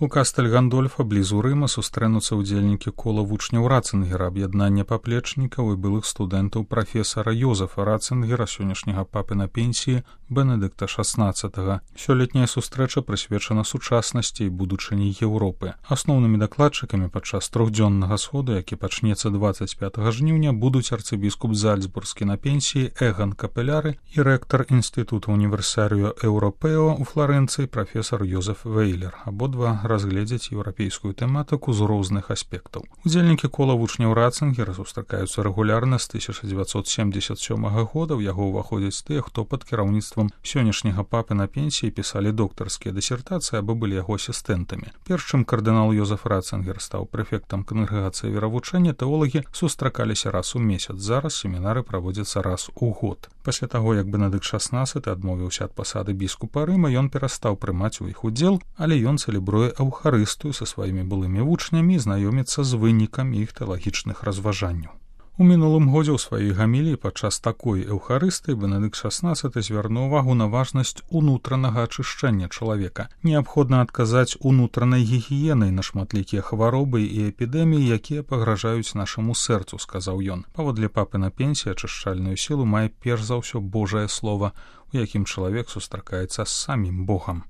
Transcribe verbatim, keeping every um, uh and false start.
У Кастэль-Гандольфа блізу Рыма сустрэнуцца ўдзельнікі кола вучняў Рацынгера, аб'яднання паплечнікаў і былых студэнтаў прафесара Йозефа Рацынгера, сённяшняга папы на пенсіі Бенедыкта шаснаццатага. Сёлетняя сустрэча прысвечана сучаснасці і будучыні Еўропы. Асноўнымі дакладчыкамі падчас трохдзённага сходу, які пачнецца дваццаць пятага жніўня, будуць арцыбіскуп Зальцбургскі на пенсіі Эган Капеляры і рэктар інстытута універсарыо Еўропео ў Фларэнцыі прафесар Йозеф Вейлер. Абодва разгледзяць еўрапейскую тэматыку з розных аспектаў. Удзельнікі кола вучняў Рацынгера сустракаюцца рэгулярна з тысяча дзевяцьсот семдзесят сёмага года. У яго ўваходзяць тыя, хто пад кіраўніцтвам сённяшняга папы на пенсіі пісалі доктарскія дысертацыі або былі яго асістэнтамі. Перш чым кардынал Йозеф Рацынгер стаў прэфектам кангрэгацыі веравучэння, тэолагі сустракаліся раз у месяц. Зараз семінары праводзяцца раз у год. Пасля таго, як Бенедыкт шаснаццаты адмовіўся ад пасады біскупа Рыма, ён перастаў прымаць у іх удзел, але ён цэлебруе Эўхарыстыю са сваімі былымі вучнямі і знаёміцца з вынікамі іх тэалагічных разважанняў. У мінулым годзе ў сваёй гаміліі падчас такой эўхарыстыі Бенедыкт шаснаццаты звярнуў увагу на важнасць унутранага ачышчэння чалавека. Неабходна адказаць унутранай гігіенай на шматлікія хваробы і эпідэміі, якія пагражаюць нашаму сэрцу, сказаў ён. Паводле папы на пенсіі ачышчальную сілу мае перш за ўсё Божае слова, у якім чалавек сустракаецца з самім Богам.